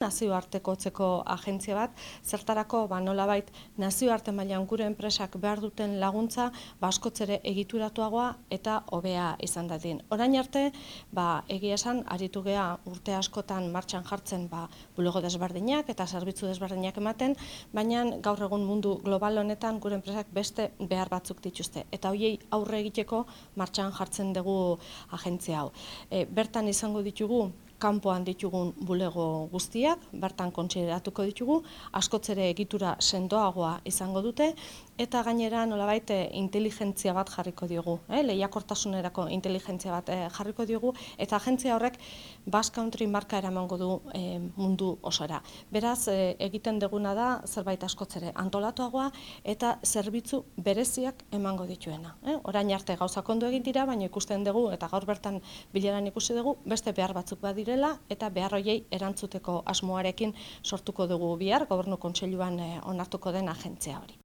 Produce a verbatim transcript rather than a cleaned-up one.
nazioartekotzeko agentzia bat, zertarako ba, nolabait nazioarte mailan gure enpresak behar duten laguntza ba, askoz ere egituratuagoa eta hobea izan dadin. Orain arte, ba, egia esan, aritu gea urte askotan martxan jartzen ba, bulego desberdinak eta zerbitzu desberdinak ematen, baina gaur egun mundu global honetan gure enpresak beste behar batzuk dituzte. Eta hoiei aurre egiteko martxan jartzen dugu agentzia hau. E, bertan izango ditugu kanpoan ditugun bulego guztiak, bertan kontsideratuko ditugu, askoz ere egitura sendoagoa izango dute, eta gainera nolabait inteligentzia bat jarriko diogu, eh? lehiakortasunerako inteligentzia bat eh, jarriko diogu, eta agentzia horrek Basque Country marka eramango du eh, mundu osora. Beraz, eh, egiten duguna da zerbait askoz ere antolatuagoa eta zerbitzu bereziak emango dituena. Eh? Orain arte gauzak ondo egin dira, baina ikusten dugu, eta gaur bertan bileran ikusi dugu, beste behar batzuk badira eta behar hoiei erantzuteko asmoarekin sortuko dugu bihar, Gobernu Kontseiluan onartuko den agentzia hori.